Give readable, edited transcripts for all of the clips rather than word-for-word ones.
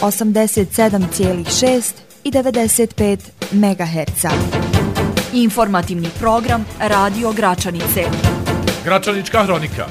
87,6 i 95 MHz. Informativni program Radio Gračanice. Gračanička hronika.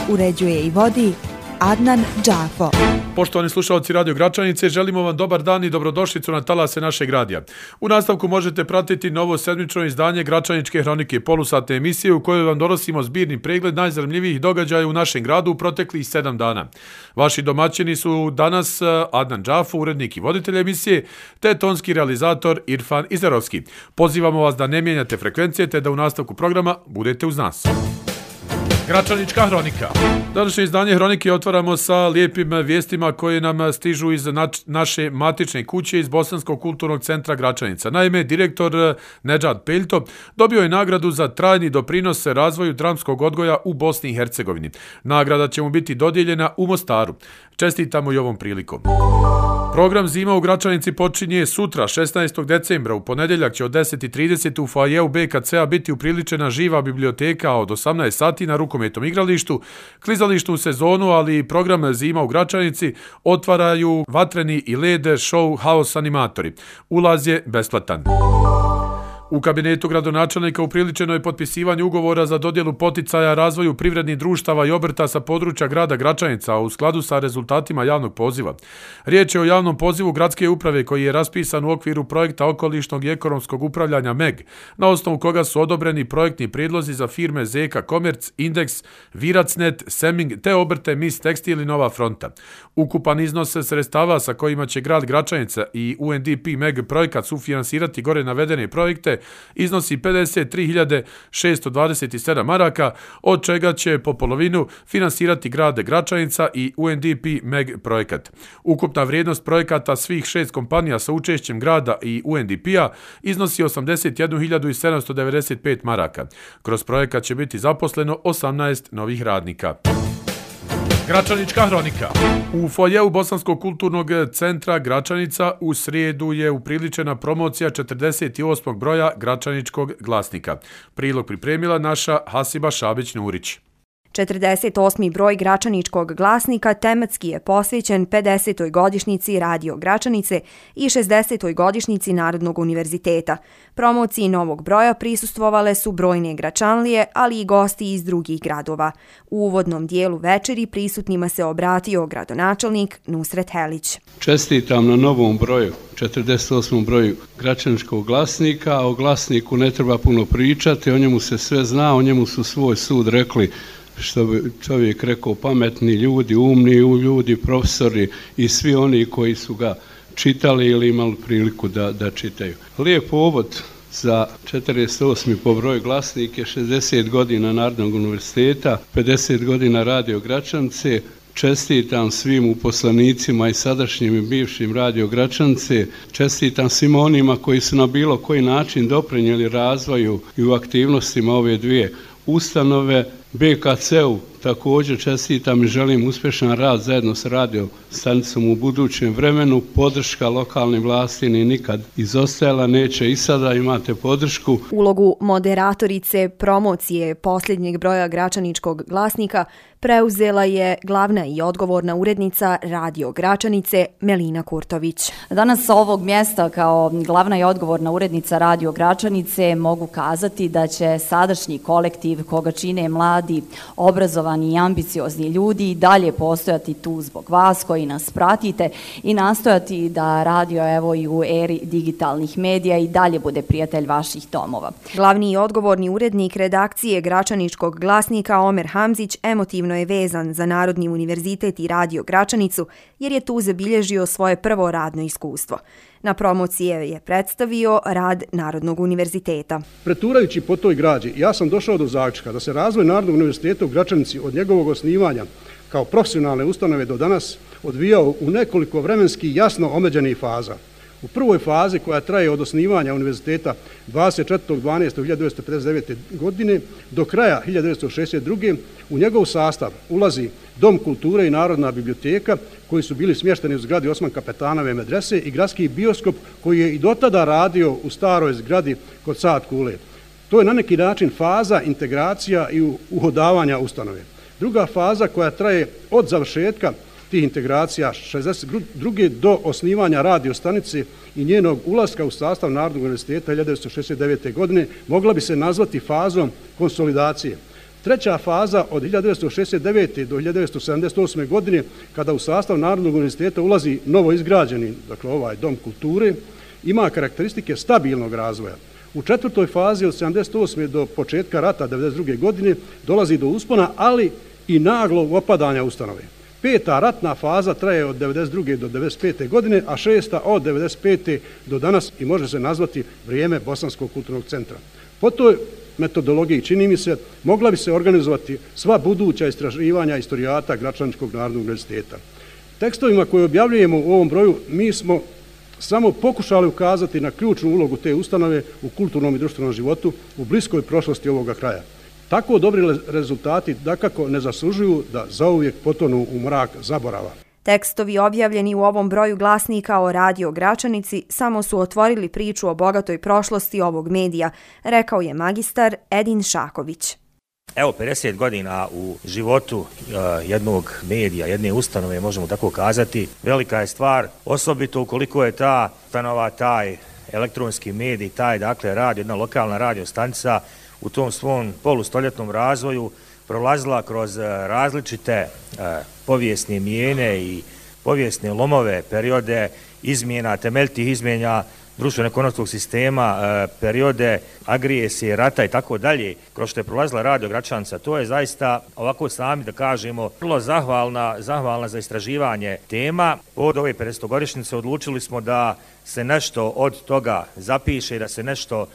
Uređuje i vodi Adnan Džafo. Poštovani slušalci Radio Gračanice, želimo vam dobar dan i dobrodošlicu na talase našeg radija. U nastavku možete pratiti novo sedmično izdanje Gračaničke hronike, polusatne emisije u kojoj vam donosimo zbirni pregled najzanimljivijih događaja u našem gradu u proteklih 7 dana. Vaši domaćini su danas Adnan Džafo, urednik i voditelj emisije, te tonski realizator Irfan Izerovski. Pozivamo vas da ne mijenjate frekvencije te da u nastavku programa budete uz nas. Gračanička hronika. Današnje izdanje hronike otvaramo sa lijepim vijestima koje nam stižu iz naše matične kuće iz Bosanskog kulturnog centra Gračanica. Naime, direktor Nedžad Peljto dobio je nagradu za trajni doprinos razvoju dramskog odgoja u Bosni i Hercegovini. Nagrada će mu biti dodijeljena u Mostaru. Čestitamo i ovom prilikom. Program Zima u Gračanici počinje sutra, 16. decembra. U ponedjeljak će od 10:30 u foajeu BKC-a biti upriličena živa biblioteka, a od 18 sati na rukometnom igralištu, klizalištu u sezonu, ali i program Zima u Gračanici otvaraju vatreni i led show Haos animatori. Ulaz je besplatan. U kabinetu gradonačelnika upriličeno je potpisivanje ugovora za dodjelu poticaja razvoju privrednih društava i obrta sa područja grada Gračanica, a u skladu sa rezultatima javnog poziva. Riječ je o javnom pozivu gradske uprave koji je raspisan u okviru projekta okolišnog i ekonomskog upravljanja MEG, na osnovu koga su odobreni projektni prijedlozi za firme Zeka Komerc, Indeks, Viracnet, Seming te obrte Mis Tekstil i Nova Fronta. Ukupan iznos sredstava sa kojima će grad Gračanica i UNDP MEG projekat sufinansirati gore navedene projekte iznosi 53.627 maraka, od čega će po polovinu finansirati grad Gračanica i UNDP MEG projekat. Ukupna vrijednost projekata svih 6 kompanija sa učešćem grada i UNDP-a iznosi 81.795 maraka. Kroz projekat će biti zaposleno 18 novih radnika. Gračanička hronika. U foajeu Bosanskog kulturnog centra Gračanica u srijedu je upriličena promocija 48. broja Gračaničkog glasnika. Prilog pripremila naša Hasiba Šabić-Nurić. 48. broj Gračaničkog glasnika tematski je posvećen 50. godišnjici Radio Gračanice i 60. godišnjici Narodnog univerziteta. Promociji novog broja prisustvovale su brojne Gračanlije, ali i gosti iz drugih gradova. U uvodnom dijelu večeri prisutnima se obratio gradonačelnik Nusret Helić. Čestitam na novom broju, 48. broju Gračaničkog glasnika, a o glasniku ne treba puno pričati, o njemu se sve zna, o njemu su svoj sud rekli, što bi čovjek rekao, pametni ljudi, umni ljudi, profesori i svi oni koji su ga čitali ili imali priliku da čitaju. Lijep povod za 48. po broju glasnik je 60 godina Narodnog univerziteta, 50 godina Radio Gračanice. Čestitam svim uposlenicima i sadašnjim i bivšim Radio Gračanice, čestitam svima onima koji su na bilo koji način doprinijeli razvoju i u aktivnostima ove dvije ustanove. BKC-u također čestitam i želim uspješan rad zajedno s radio stanicom u budućem vremenu. Podrška lokalnim vlasti ni nikad izostajala, neće i sada, imate podršku. Ulogu moderatorice promocije posljednjeg broja Gračaničkog glasnika preuzela je glavna i odgovorna urednica Radio Gračanice Melina Kurtović. Danas sa ovog mjesta kao glavna i odgovorna urednica Radio Gračanice mogu kazati da će sadašnji kolektiv koga čine mladi, obrazovani i ambiciozni ljudi i dalje postojati tu zbog vas koji nas pratite i nastojati da radio evo i u eri digitalnih medija i dalje bude prijatelj vaših domova. Glavni i odgovorni urednik redakcije Gračaničkog glasnika Omer Hamzić emotivno je vezan za Narodni univerzitet i Radio Gračanicu jer je tu zabilježio svoje prvo radno iskustvo. Na promocije je predstavio rad Narodnog univerziteta. Preturajući po toj građi, ja sam došao do zaključka da se razvoj Narodnog univerziteta u Gračanici od njegovog osnivanja kao profesionalne ustanove do danas odvijao u nekoliko vremenski jasno omeđenih faza. U prvoj fazi, koja traje od osnivanja univerziteta 24.12.1959. godine do kraja 1962. u njegov sastav ulazi Dom kulture i Narodna biblioteka, koji su bili smješteni u zgradi Osman Kapetanove medrese, i gradski bioskop koji je i dotada radio u staroj zgradi kod Saad Kule. To je na neki način faza integracija i uhodavanja ustanove. Druga faza, koja traje od završetka tih integracija 62. do osnivanja radio stanice i njenog ulaska u sastav Narodnog univerziteta 1969. godine mogla bi se nazvati fazom konsolidacije. Treća faza od 1969. do 1978. godine, kada u sastav Narodnog univerziteta ulazi novo izgrađeni, dakle ovaj Dom kulture, ima karakteristike stabilnog razvoja. U četvrtoj fazi od 1978. do početka rata 1992. godine dolazi do uspona, ali i naglog opadanja ustanove. Peta ratna faza traje od 1992. do 1995. godine, a šesta od 1995. do danas i može se nazvati vrijeme Bosanskog kulturnog centra. Po toj metodologiji, čini mi se, mogla bi se organizovati sva buduća istraživanja istorijata Gračaničkog narodnog univerziteta. Tekstovima koje objavljujemo u ovom broju mi smo samo pokušali ukazati na ključnu ulogu te ustanove u kulturnom i društvenom životu u bliskoj prošlosti ovoga kraja. Tako dobri rezultati dakako ne zaslužuju da zauvijek potonu u mrak zaborava. Tekstovi objavljeni u ovom broju glasnika o Radio Gračanici samo su otvorili priču o bogatoj prošlosti ovog medija, rekao je magistar Edin Šaković. Evo, 50 godina u životu jednog medija, jedne ustanove, možemo tako kazati, velika je stvar, osobito ukoliko je ta ustanova, taj elektronski medij, taj, dakle, radio, jedna lokalna radio stanica u tom svom polustoljetnom razvoju prolazila kroz različite povijesne mijene i povijesne lomove, periode izmjena, temeljitih izmjena društveno-ekonomskog sistema, periode agresije, rata i tako dalje, kroz što je prolazila Radio Gračanica. To je zaista, ovako sami da kažemo, vrlo zahvalna za istraživanje tema. Od ove 50-godišnjice odlučili smo da se nešto od toga zapiše, da se nešto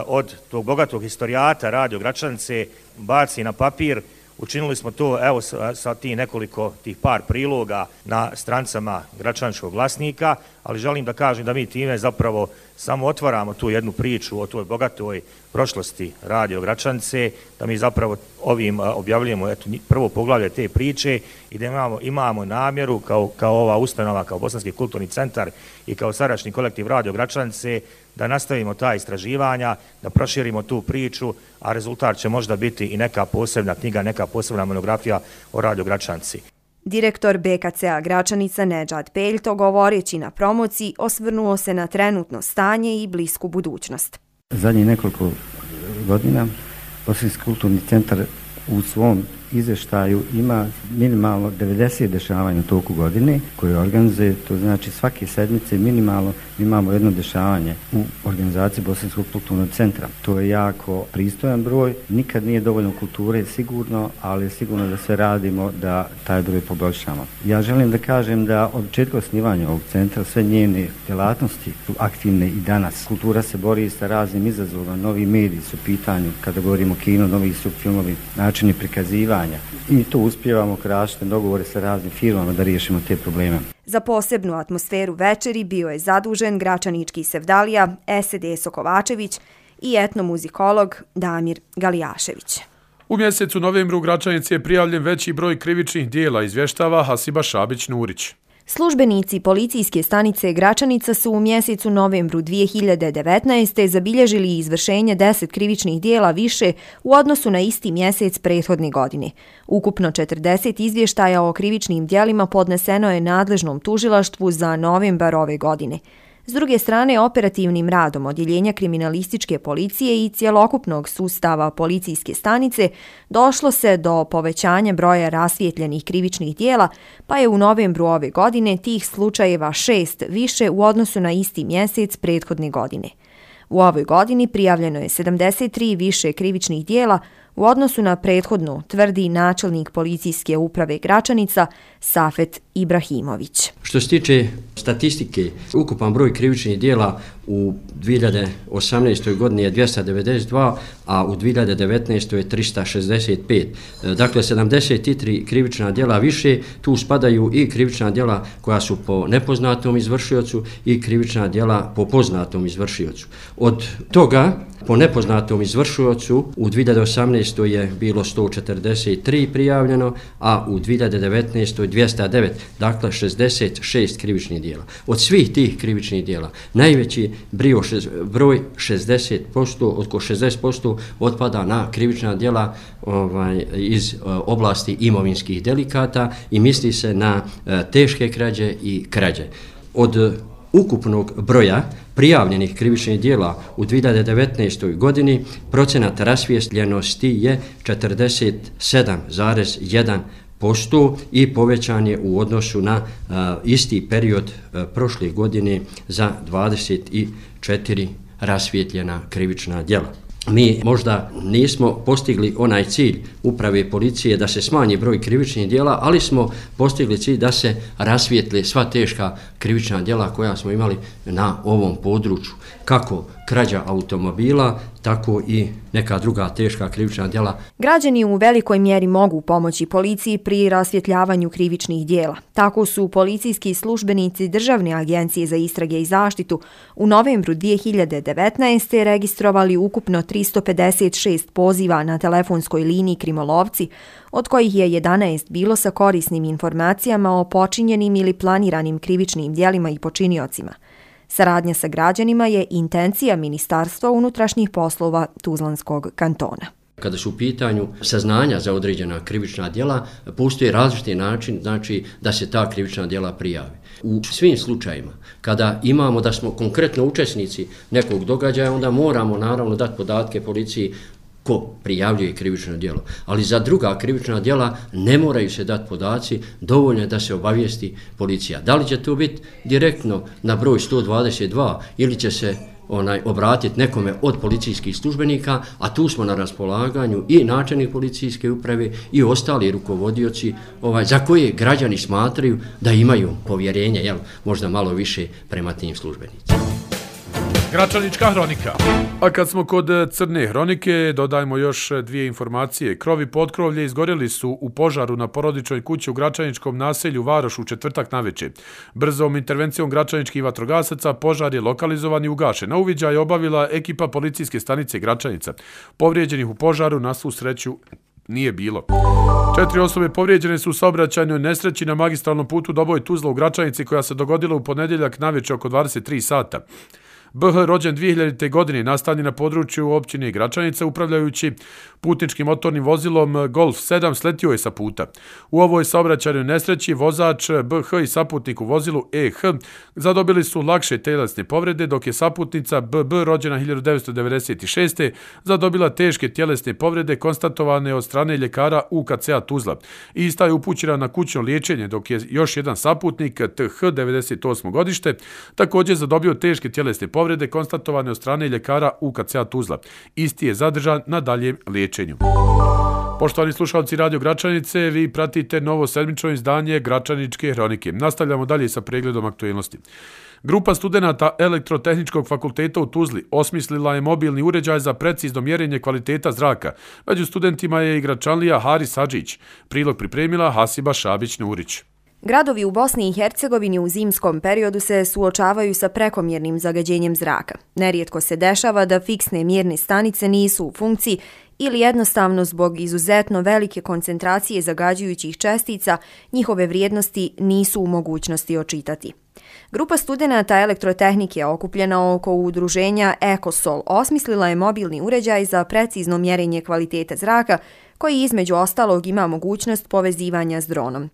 od tog bogatog historijata Radio Gračanice baci na papir. Učinili smo to evo sa nekoliko tih par priloga na strancama Gračaničkog glasnika, ali želim da kažem da mi time zapravo samo otvaramo tu jednu priču o toj bogatoj prošlosti Radio Gračanice, da mi zapravo ovim objavljujemo prvo poglavlje te priče i da imamo namjeru kao ova ustanova, kao Bosanski kulturni centar i kao sadašnji kolektiv Radio Gračanice da nastavimo ta istraživanja, da proširimo tu priču, a rezultat će možda biti i neka posebna knjiga, neka posebna monografija o Radio Gračanici. Direktor BKC-a Gračanica Nedžad Peljto, govoreći na promociji, osvrnuo se na trenutno stanje i blisku budućnost. Zadnjih nekoliko godina Bosanski kulturni centar u svom izvještaju ima minimalno 90 dešavanja u toku godine koje organizuje, to znači svake sedmice minimalno imamo jedno dešavanje u organizaciji Bosanskog kulturnog centra. To je jako pristojan broj, nikad nije dovoljno kulture sigurno, ali sigurno da sve radimo da taj broj poboljšamo. Ja želim da kažem da od početka osnivanja ovog centra sve njene djelatnosti su aktivne i danas. Kultura se bori sa raznim izazovima, novi mediji su u pitanju, kada govorimo o kino, novi su filmovi, načini prikazivanja. I to uspijevamo kroz dogovore sa raznim firmama da riješimo te probleme. Za posebnu atmosferu večeri bio je zadužen gračanički sevdalija S.D. Kovačević i etnomuzikolog Damir Galijašević. U mjesecu novembru u Gračanici je prijavljen veći broj krivičnih dijela, izvještava Hasiba Šabić-Nurić. Službenici policijske stanice Gračanica su u mjesecu novembru 2019. zabilježili izvršenje 10 krivičnih dijela više u odnosu na isti mjesec prethodne godine. Ukupno 40 izvještaja o krivičnim dijelima podneseno je nadležnom tužilaštvu za novembar ove godine. S druge strane, operativnim radom Odjeljenja kriminalističke policije i cjelokupnog sustava policijske stanice došlo se do povećanja broja rasvijetljenih krivičnih dijela, pa je u novembru ove godine tih slučajeva 6 više u odnosu na isti mjesec prethodne godine. U ovoj godini prijavljeno je 73 više krivičnih dijela u odnosu na prethodnu, tvrdi načelnik policijske uprave Gračanica Safet Ibrahimović. Što se tiče statistike, ukupan broj krivičnih dijela u 2018. godini je 292, a u 2019. je 365. Dakle, 73 krivična dijela više, tu spadaju i krivična dijela koja su po nepoznatom izvršiocu i krivična dijela po poznatom izvršiocu. Od toga, po nepoznatom izvršiocu u 2018. je bilo 143 prijavljeno, a u 2019. 209, dakle 66 krivičnih dijela. Od svih tih krivičnih dijela najveći broj 60%, oko 60% otpada na krivična djela iz oblasti imovinskih delikata i misli se na teške krađe i krađe. Od ukupnog broja prijavljenih krivičnih djela u 2019. godini procenat rasvijetljenosti je 47,1% i povećan je u odnosu na isti period prošle godine za 24 rasvijetljena krivična djela. Mi možda nismo postigli onaj cilj uprave policije da se smanji broj krivičnih djela, ali smo postigli cilj da se rasvijetle sva teška krivična djela koja smo imali na ovom području. Kako krađa automobila, tako i neka druga teška krivična djela. Građani u velikoj mjeri mogu pomoći policiji pri rasvjetljavanju krivičnih djela. Tako su policijski službenici Državne agencije za istrage i zaštitu u novembru 2019. registrovali ukupno 356 poziva na telefonskoj liniji Krimolovci, od kojih je 11 bilo sa korisnim informacijama o počinjenim ili planiranim krivičnim djelima i počiniocima. Saradnja sa građanima je intencija Ministarstva unutrašnjih poslova Tuzlanskog kantona. Kada su u pitanju saznanja za određena krivična djela, postoji različiti način, znači da se ta krivična djela prijavi. U svim slučajima, kada imamo da smo konkretno učesnici nekog događaja, onda moramo naravno dati podatke policiji ko prijavljuje krivično djelo. Ali za druga krivična djela ne moraju se dati podaci, dovoljno je da se obavijesti policija. Da li će to biti direktno na broj 122 ili će se obratiti nekome od policijskih službenika, a tu smo na raspolaganju i načelnik policijske uprave i ostali rukovodioci za koje građani smatraju da imaju povjerenje, možda malo više prema tim službenicima. Gračanička hronika. A kad smo kod crne hronike, dodajmo još dvije informacije. Krov i potkrovlje izgorjeli su u požaru na porodičnoj kući u Gračaničkom naselju Varoš u četvrtak navečer. Brzom intervencijom gračaničkih vatrogasaca požar je lokalizovan i ugašen. Na uviđaj je obavila ekipa policijske stanice Gračanica. Povrijeđenih u požaru na svu sreću nije bilo. 4 osobe povrijeđene su u saobraćajnoj nesreći na magistralnom putu Doboj-Tuzla u Gračanici koja se dogodila u ponedjeljak navečer oko 23 sata. BH rođen 2000. godine nastanjen na području općine Gračanica upravljajući putničkim motornim vozilom Golf 7 sletio je sa puta. U ovoj saobraćajnoj nesreći vozač BH i saputnik u vozilu EH zadobili su lakše tjelesne povrede, dok je saputnica BB rođena 1996. zadobila teške tjelesne povrede konstatovane od strane ljekara UKC-a Tuzla. Ista je upućena na kućno liječenje, dok je još jedan saputnik TH 98. godište također zadobio teške tjelesne povrede konstatovane od strane ljekara UKC-a Tuzla. Isti je zadržan na daljem liječenju. Poštovani slušalci Radio Gračanice, vi pratite novo sedmično izdanje Gračaničke hronike. Nastavljamo dalje sa pregledom aktualnosti. Grupa studenata Elektrotehničkog fakulteta u Tuzli osmislila je mobilni uređaj za precizno mjerenje kvaliteta zraka. Među studentima je i Gračanlija Haris Hadžić. Prilog pripremila Hasiba Šabić-Nurić. Gradovi u Bosni i Hercegovini u zimskom periodu se suočavaju sa prekomjernim zagađenjem zraka. Nerijetko se dešava da fiksne mjerne stanice nisu u funkciji ili jednostavno zbog izuzetno velike koncentracije zagađujućih čestica njihove vrijednosti nisu u mogućnosti očitati. Grupa studenata elektrotehnike okupljena oko udruženja Ekosol osmislila je mobilni uređaj za precizno mjerenje kvaliteta zraka koji između ostalog ima mogućnost povezivanja s dronom.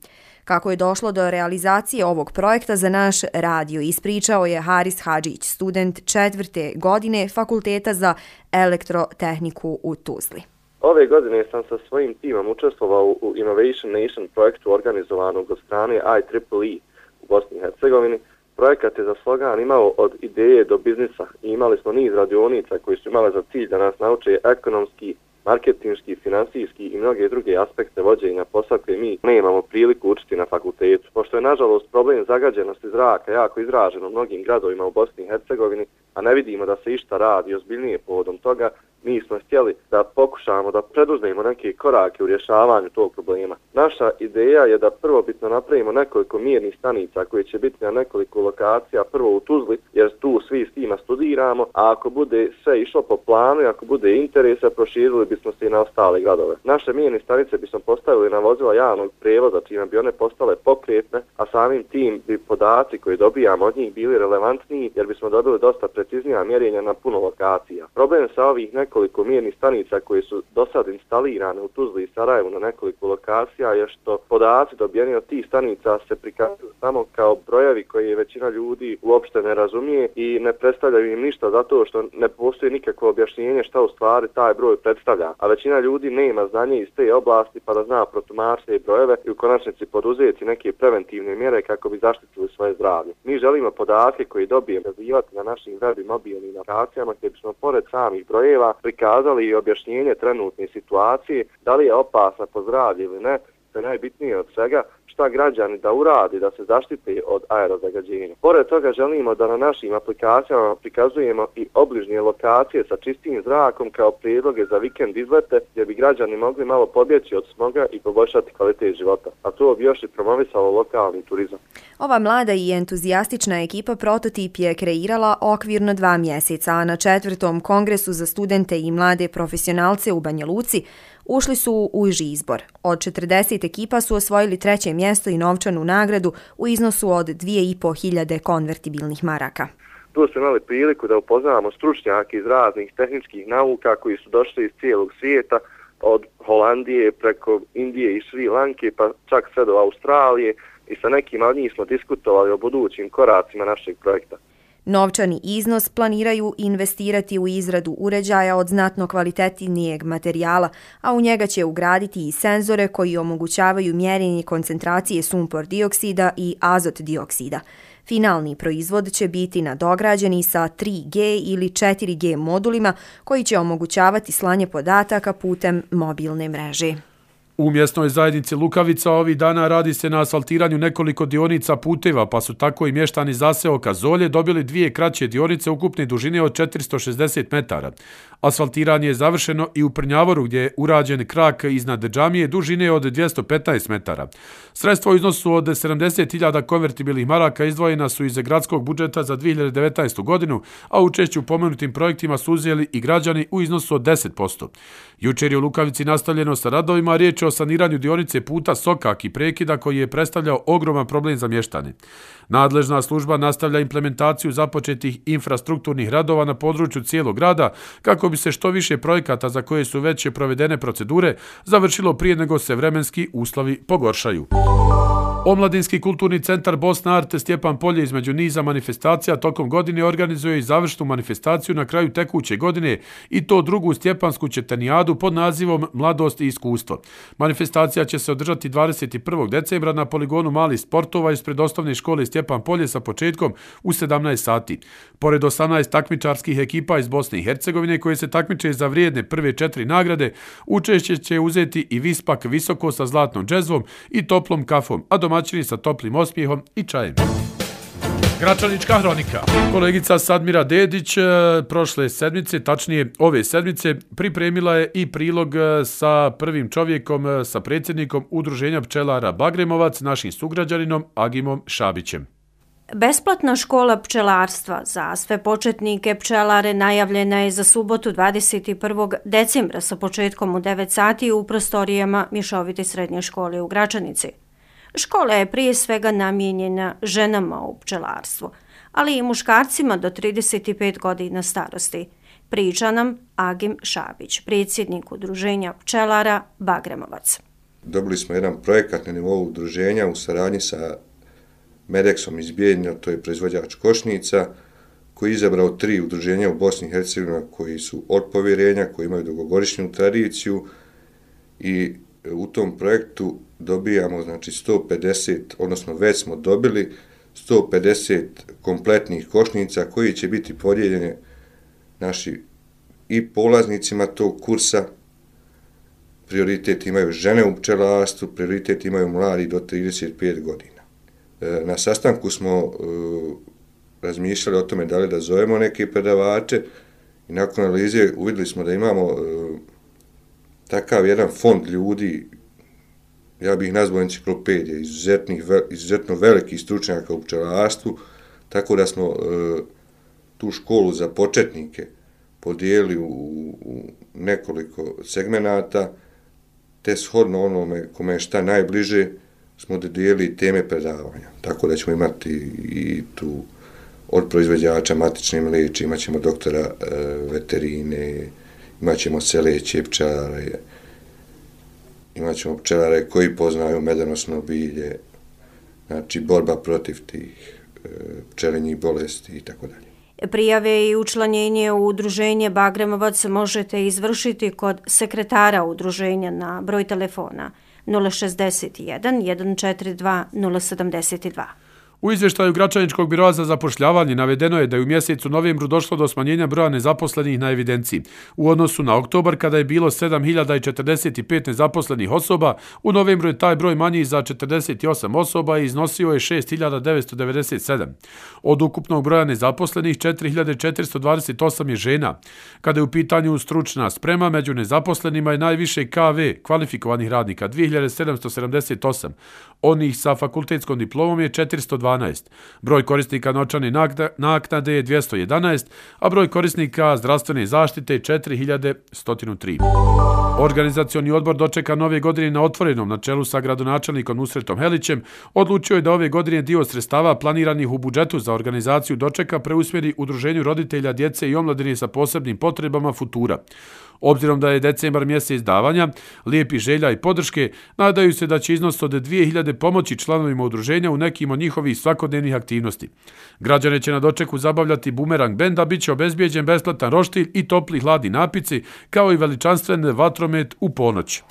Kako je došlo do realizacije ovog projekta za naš radio, ispričao je Haris Hadžić, student 4. godine Fakulteta za elektrotehniku u Tuzli. Ove godine sam sa svojim timom učestvovao u Innovation Nation projektu organizovanog od strane IEEE u Bosni i Hercegovini. Projekat je za slogan imao od ideje do biznisa i imali smo niz radionica koji su imale za cilj da nas nauče ekonomski, marketinški, finansijski i mnoge druge aspekte vođenja posla koje mi nemamo priliku učiti na fakultetu. Pošto je nažalost problem zagađenosti zraka jako izražen u mnogim gradovima u Bosni i Hercegovini, a ne vidimo da se išta radi ozbiljnije povodom toga, mi smo htjeli da pokušamo da preduzmemo neke korake u rješavanju tog problema. Naša ideja je da prvobitno napravimo nekoliko mjernih stanica koje će biti na nekoliko lokacija, prvo u Tuzli, jer tu svi s tima studiramo, a ako bude sve išlo po planu i ako bude interesa, proširili bismo se i na ostale gradove. Naše mjerne stanice bismo postavili na vozila javnog prijevoza, čime bi one postale pokretne, a samim tim bi podaci koje dobijamo od njih bili relevantniji, jer bismo dobili dosta preciznija mjerenja na puno lokacija. Problem sa ovih nekoliko mjernih stanica koje su do sad instalirane u Tuzli i Sarajevu na nekoliko lokacija je što podaci dobijeni od tih stanica se prikazuju samo kao brojevi koje većina ljudi uopšte ne razumije i ne predstavljaju im ništa zato što ne postoji nikakvo objašnjenje šta u stvari taj broj predstavlja, a većina ljudi nema znanje iz te oblasti pa da zna protumačiti brojeve i u konačnici poduzeti neke preventivne mjere kako bi zaštitili svoje zdravlje. Mi želimo podatke koji dobijemo razvijati na našim web i mobilnim aplikacijama gdje bismo pored samih brojeva prikazali i objašnjenje trenutne situacije, da li je opasna po zdravlje ili ne, to je najbitnije od svega, šta građani da uradi da se zaštite od aerozagađenja. Pored toga želimo da na našim aplikacijama prikazujemo i obližnje lokacije sa čistim zrakom kao prijedloge za vikend izlete gdje bi građani mogli malo pobjeći od smoga i poboljšati kvalitet života, a to bi još i promovisalo lokalni turizam. Ova mlada i entuzijastična ekipa prototip je kreirala okvirno 2 mjeseca, a na 4. kongresu za studente i mlade profesionalce u Banja Luci ušli su u uži izbor. Od 40 ekipa su osvojili 3. mjesto i novčanu nagradu u iznosu od 2.500 konvertibilnih maraka. Tu smo imali priliku da upoznamo stručnjake iz raznih tehničkih nauka koji su došli iz cijelog svijeta, od Holandije preko Indije i Šri Lanke pa čak sve do Australije i sa nekima od njih smo diskutovali o budućim koracima našeg projekta. Novčani iznos planiraju investirati u izradu uređaja od znatno kvalitetnijeg materijala, a u njega će ugraditi i senzore koji omogućavaju mjerenje koncentracije sumpor dioksida i azot dioksida. Finalni proizvod će biti nadograđeni sa 3G ili 4G modulima koji će omogućavati slanje podataka putem mobilne mreže. U mjesnoj zajednici Lukavica ovih dana radi se na asfaltiranju nekoliko dionica puteva, pa su tako i mještani zaseoka Zolje dobili 2 kraće dionice ukupne dužine od 460 metara. Asfaltiranje je završeno i u Prnjavoru gdje je urađen krak iznad džamije dužine od 215 metara. Sredstva u iznosu od 70.000 konvertibilnih maraka izdvojena su iz gradskog budžeta za 2019. godinu, a učešće u pomenutim projektima su uzeli i građani u iznosu od 10%. Jučer je u Lukavici nastavljeno sa radovima, riječ je o saniranju dionice puta Sokak i prekida koji je predstavljao ogroman problem za mještane. Nadležna služba nastavlja implementaciju započetih infrastrukturnih radova na području cijelog grada kako bi se što više projekata za koje su već provedene procedure završilo prije nego se vremenski uslovi pogoršaju. Omladinski kulturni centar Bosna Art Stjepan Polje između niza manifestacija tokom godine organizuje i završnu manifestaciju na kraju tekuće godine i to drugu stjepansku četanijadu pod nazivom Mladost i iskustvo. Manifestacija će se održati 21. decembra na poligonu malih sportova ispred osnovne škole Stjepan Polje sa početkom u 17 sati. Pored 18 takmičarskih ekipa iz Bosne i Hercegovine koje se takmiče za vrijedne prve 4 nagrade, učešće će uzeti i Vispak Visoko sa zlatnom džezvom i toplom kafom, a domaćini sa toplim osmijehom i čajem. Gračanička hronika. Kolegica Sadmira Dedić prošle sedmice, tačnije ove sedmice, pripremila je i prilog sa prvim čovjekom, sa predsjednikom Udruženja pčelara Bagremovac, našim sugrađaninom Agimom Šabićem. Besplatna škola pčelarstva za sve početnike pčelare najavljena je za subotu 21. decembra sa početkom u 9 sati u prostorijama Mješovite srednje škole u Gračanici. Škola je prije svega namijenjena ženama u pčelarstvu, ali i muškarcima do 35 godina starosti. Priča nam Agim Šabić, predsjednik Udruženja pčelara Bagremovac. Dobili smo jedan projekat na nivou udruženja u saradnji sa Medexom iz Bijeljina, to je proizvođač košnica, koji je izabrao 3 udruženja u Bosni i Hercegovini koji su od povjerenja, koji imaju dugogodišnju tradiciju i u tom projektu dobijamo znači 150, odnosno već smo dobili 150 kompletnih košnica koji će biti podijeljene naši i polaznicima tog kursa. Prioritet imaju žene u pčelarstvu, prioritet imaju mladi do 35 godina. Na sastanku smo razmišljali o tome da li da zovemo neke predavače I nakon analize uvidjeli smo da imamo takav jedan fond ljudi, ja bih ih nazvao enciklopedije, izuzetno velikih stručnjaka u pčelarstvu, tako da smo tu školu za početnike podijelili u nekoliko segmenata, te shodno onome kome je šta najbliže smo dodijelili teme predavanja. Tako da ćemo imati i tu od proizvođača matične mleče, imat ćemo doktora veterine, imat ćemo seleće pčelare, imat ćemo pčelare koji poznaju medonosno bilje, znači borba protiv tih pčelinjih bolesti i tako dalje. Prijave i učlanjenje u udruženje Bagremovac možete izvršiti kod sekretara udruženja na broj telefona 061 142 072. U izvještaju Gračaničkog biroa za zapošljavanje navedeno je da je u mjesecu novembru došlo do smanjenja broja nezaposlenih na evidenciji. U odnosu na oktobar, kada je bilo 7045 nezaposlenih osoba, u novembru je taj broj manji za 48 osoba i iznosio je 6997. Od ukupnog broja nezaposlenih, 4428 je žena. Kada je u pitanju stručna sprema, među nezaposlenima je najviše KV, kvalifikovanih radnika, 2778. Onih sa fakultetskom diplomom je 412. Broj korisnika novčane naknade je 211, a broj korisnika zdravstvene zaštite je 4103. Organizacioni odbor dočeka nove godine na otvorenom na čelu sa gradonačelnikom Nusretom Helićem odlučio je da ove godine dio sredstava planiranih u budžetu za organizaciju dočeka preusmjeri Udruženju roditelja djece i omladine sa posebnim potrebama Futura. Obzirom da je decembar mjesec davanja, lijepih želja i podrške, nadaju se da će iznos od 2000 pomoći članovima udruženja u nekim od njihovih svakodnevnih aktivnosti. Građane će na dočeku zabavljati bumerang benda, bit će obezbijeđen besplatan roštilj i topli hladni napici, kao i veličanstven vatromet u ponoć.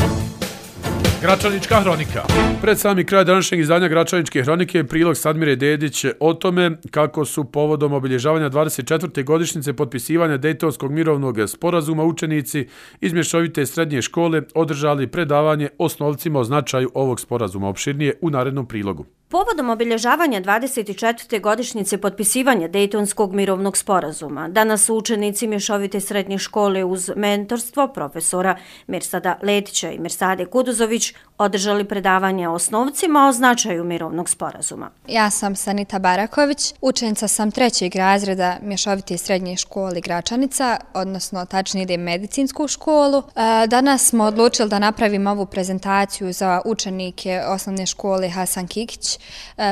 Gračanička hronika. Pred sami kraj današnjeg izdanja Gračaničke hronike prilog Sadmire Dedić o tome kako su povodom obilježavanja 24. godišnjice potpisivanja Dejtonskog mirovnog sporazuma učenici iz mješovite srednje škole održali predavanje osnovcima o značaju ovog sporazuma, opširnije u narednom prilogu. Povodom obilježavanja 24. godišnjice potpisivanja Dejtonskog mirovnog sporazuma, danas su učenici mješovite srednje škole uz mentorstvo profesora Mirsada Letića i Mirsade Kuduzović održali predavanje osnovcima o značaju mirovnog sporazuma. Ja sam Sanita Baraković, učenica sam 3. razreda mješovite srednje škole Gračanica, odnosno tačnije idem medicinsku školu. Danas smo odlučili da napravimo ovu prezentaciju za učenike osnovne škole Hasan Kikić.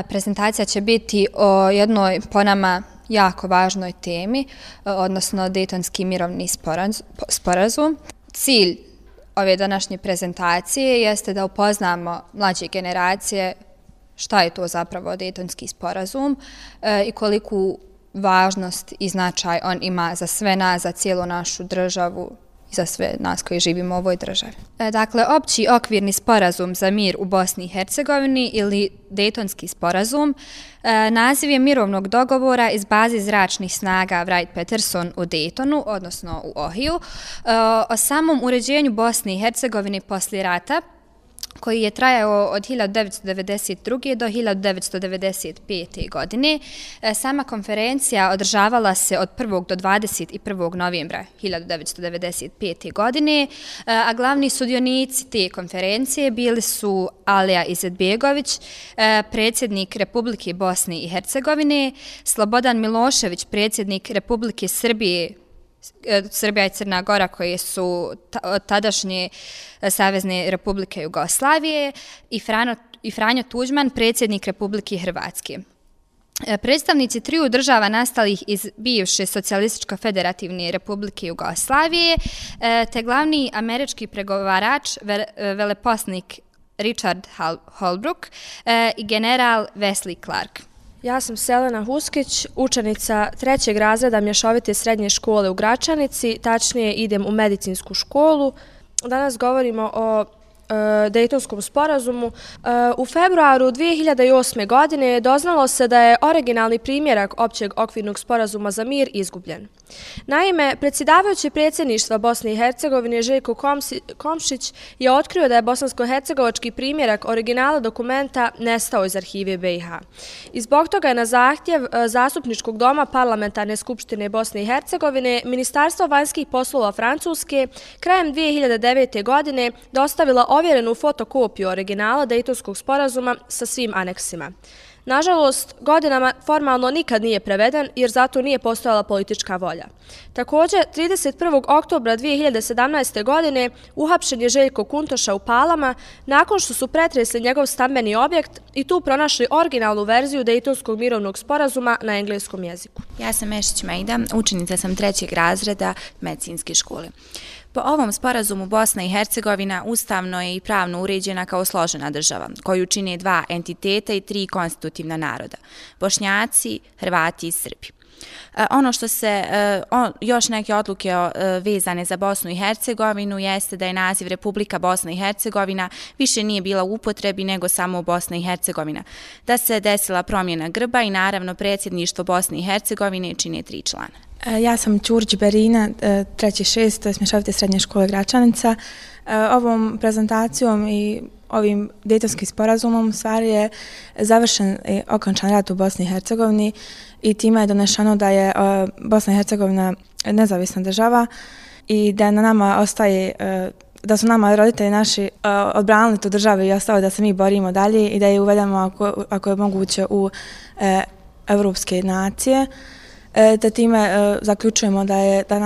Prezentacija će biti o jednoj po nama jako važnoj temi, odnosno Dejtonski mirovni sporazum. Cilj ove današnje prezentacije jeste da upoznamo mlađe generacije šta je to zapravo Dejtonski sporazum i koliku važnost i značaj on ima za sve nas, za cijelu našu državu i za sve nas koji živimo u ovoj državi. Dakle, opći okvirni sporazum za mir u Bosni i Hercegovini ili Dejtonski sporazum naziv je mirovnog dogovora iz baze zračnih snaga Wright-Patterson u Dejtonu, odnosno u Ohiju, o samom uređenju Bosne i Hercegovine poslije rata, koji je trajao od 1992. do 1995. godine. Sama konferencija održavala se od 1. do 21. novembra 1995. godine, a glavni sudionici te konferencije bili su Alija Izetbegović, predsjednik Republike Bosne i Hercegovine, Slobodan Milošević, predsjednik Republike Srbije, Srbija i Crna Gora, koje su tadašnje Savezne Republike Jugoslavije, i Franjo Tuđman, predsjednik Republike Hrvatske. Predstavnici triju država nastalih iz bivše Socijalističko-federativne Republike Jugoslavije, te glavni američki pregovarač, veleposlanik Richard Holbrooke i general Wesley Clark. Ja sam Selena Huskić, učenica 3. razreda mješovite srednje škole u Gračanici, tačnije idem u medicinsku školu. Danas govorimo o Dejtonskom sporazumu. U februaru 2008. godine doznalo se da je originalni primjerak općeg okvirnog sporazuma za mir izgubljen. Naime, predsjedavajući predsjedništva Bosne i Hercegovine Željko Komšić je otkrio da je bosansko-hercegovački primjerak originala dokumenta nestao iz arhive BiH. I zbog toga je na zahtjev Zastupničkog doma Parlamentarne skupštine Bosne i Hercegovine Ministarstvo vanjskih poslova Francuske krajem 2009. godine dostavila ovjerenu fotokopiju originala Dejtonskog sporazuma sa svim aneksima. Nažalost, godinama formalno nikad nije preveden jer zato nije postojala politička volja. Također, 31. oktobra 2017. godine uhapšen je Željko Kuntoša u Palama nakon što su pretresli njegov stambeni objekt i tu pronašli originalnu verziju Dejtonskog mirovnog sporazuma na engleskom jeziku. Ja sam Mešić Mejda, učenica sam 3. razreda medicinske škole. Po ovom sporazumu Bosna i Hercegovina ustavno je i pravno uređena kao složena država, koju čine 2 entiteta i 3 konstitutivna naroda, Bošnjaci, Hrvati i Srbi. Ono što se, još neke odluke vezane za Bosnu i Hercegovinu jeste da je naziv Republika Bosna i Hercegovina više nije bila u upotrebi nego samo Bosna i Hercegovina, da se desila promjena grba i naravno predsjedništvo Bosne i Hercegovine čine 3 člana. Ja sam Ćurđ Berina, 3.6, to je Mješovite srednje škole Gračanica. Ovom prezentacijom i ovim Dejtonskim sporazumom stvari je završen i okončan rat u Bosni i Hercegovini i time je donešeno da je Bosna i Hercegovina nezavisna država i da na nama ostaje, da su nama roditelji naši odbranili tu državu i ostalo da se mi borimo dalje i da je uvedemo ako je moguće u evropske nacije. Da time zaključujemo da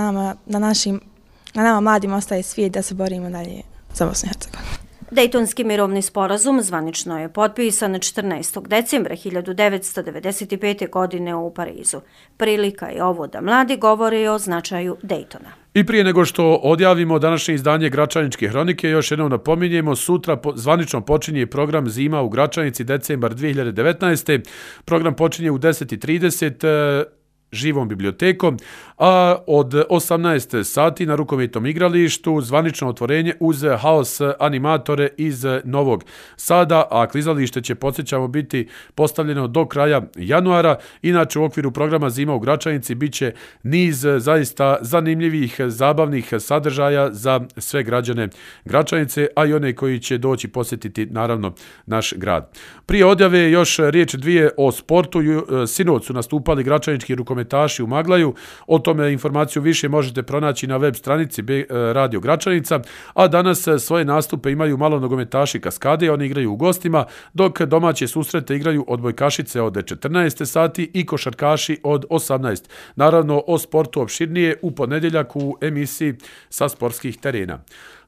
nama mladima ostaje svijet da se borimo dalje za Bosnu i Hercegovinu. Dejtonski mirovni sporazum zvanično je potpisan 14. decembra 1995. godine u Parizu. Prilika je ovo da mladi govore o značaju Dejtona. I prije nego što odjavimo današnje izdanje Gračaničke hronike, još jednom napominjemo, sutra zvanično počinje program Zima u Gračanici, decembar 2019. Program počinje u 10:30 živom bibliotekom, a od 18 sati na rukometnom igralištu zvanično otvorenje uz haos animatore iz Novog Sada, a klizalište će, podsjećamo, biti postavljeno do kraja januara. Inače, u okviru programa Zima u Gračanici bit će niz zaista zanimljivih, zabavnih sadržaja za sve građane Gračanice, a i one koji će doći posjetiti, naravno, naš grad. Prije odjave još riječ dvije o sportu. Sinoć su nastupali gračanički rukometaši u Maglaju. O tome informaciju više možete pronaći na web stranici Radio Gračanica, a danas svoje nastupe imaju malo nogometaši Kaskade, oni igraju u gostima, dok domaće susrete igraju odbojkašice od 14 sati i košarkaši od 18. Naravno, o sportu opširnije u ponedjeljak u emisiji Sa sportskih terena.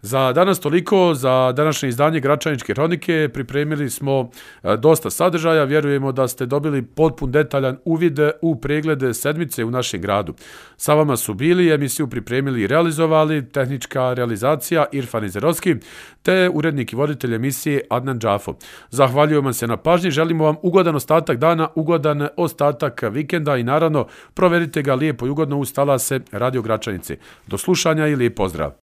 Za danas toliko, za današnje izdanje Gračaničke hronike pripremili smo dosta sadržaja, vjerujemo da ste dobili potpun detaljan uvid u preglede sedmice u našem gradu. Sa vama su bili, emisiju pripremili i realizovali, tehnička realizacija Irfan Izerovski, te urednik i voditelj emisije Adnan Džafo. Zahvaljujem vam se na pažnji, želimo vam ugodan ostatak dana, ugodan ostatak vikenda i naravno proverite ga lijepo i ugodno uz talase Radio Gračanice. Do slušanja i lijep pozdrav!